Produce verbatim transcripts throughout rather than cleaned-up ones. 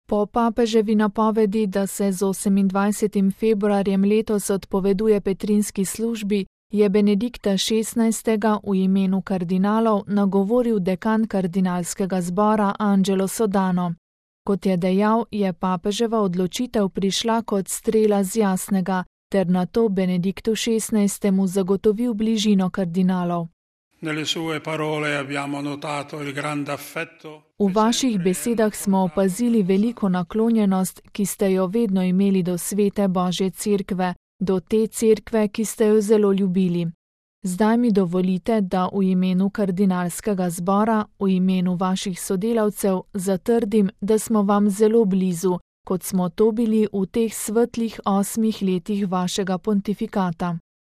Po papeževi napovedi, da se z osemindvajsetim februarjem letos odpoveduje petrinski službi, je Benedikta šestnajstega v imenu kardinalov nagovoril dekan kardinalskega zbora Angelo Sodano. Kot je dejal, je papeževa odločitev prišla kot strela z jasnega, ter nato Benediktu šestnajstemu zagotovil bližino kardinalov. V vaših besedah smo opazili veliko naklonjenost, ki ste jo vedno imeli do svete Božje cerkve, do te cerkve, ki ste jo zelo ljubili. Zdaj mi dovolite, da v imenu kardinalskega zbora, v imenu vaših sodelavcev, zatrdim, da smo vam zelo blizu, kot smo to bili v teh svetlih osmih letih vašega pontifikata.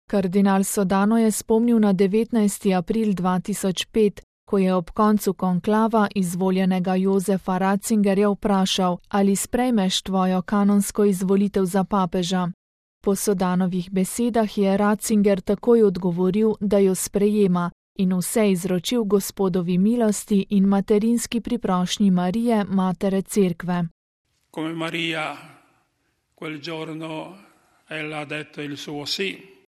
Kardinal Sodano je spomnil na devetnajsti april dva tisoč pet, ko je ob koncu konklava izvoljenega Jozefa Ratzingerja vprašal, ali sprejmeš tvojo kanonsko izvolitev za papeža. Po Sodanovih besedah je Ratzinger takoj odgovoril, da jo sprejema in vse izročil Gospodovi milosti in materinski priprošnji Marije, matere cerkve. Come Maria, quel giorno ella ha detto il suo sì.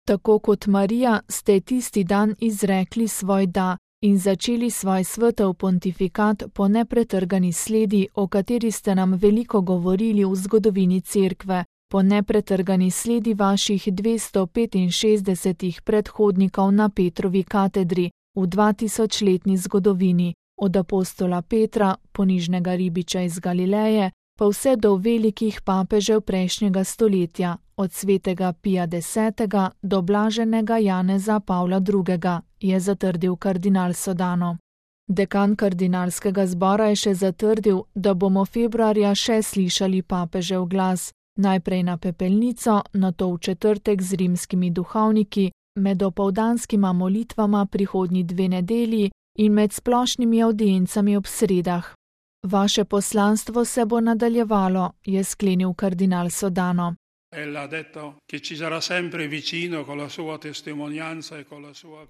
Tako kot Marija ste tisti dan izrekli svoj da in začeli svoj svetov pontifikat po nepretrgani sledi, o kateri ste nam veliko govorili v zgodovini cerkve, po nepretrgani sledi vaših dvesto petinšestdesetih predhodnikov na Petrovi katedri v dvatisočletni zgodovini, od apostola Petra, ponižnega ribiča iz Galileje, pa vse do velikih papežev prejšnjega stoletja, od svetega Pija desetega do blaženega Janeza Pavla drugega, je zatrdil kardinal Sodano. Dekan kardinalskega zbora je še zatrdil, da bomo februarja še slišali papežev glas, najprej na pepelnico, nato v četrtek z rimskimi duhovniki, med opoldanskima molitvama prihodnji dve nedelji in med splošnimi avdiencami ob sredah. Vaše poslanstvo se bo nadaljevalo, je sklenil kardinal Sodano.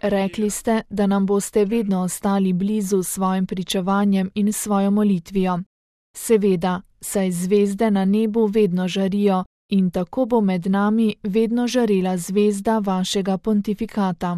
Rekli ste, da nam boste vedno ostali blizu s svojim pričevanjem in svojo molitvijo. Seveda, saj zvezde na nebu vedno žarijo in tako bo med nami vedno žarela zvezda vašega pontifikata.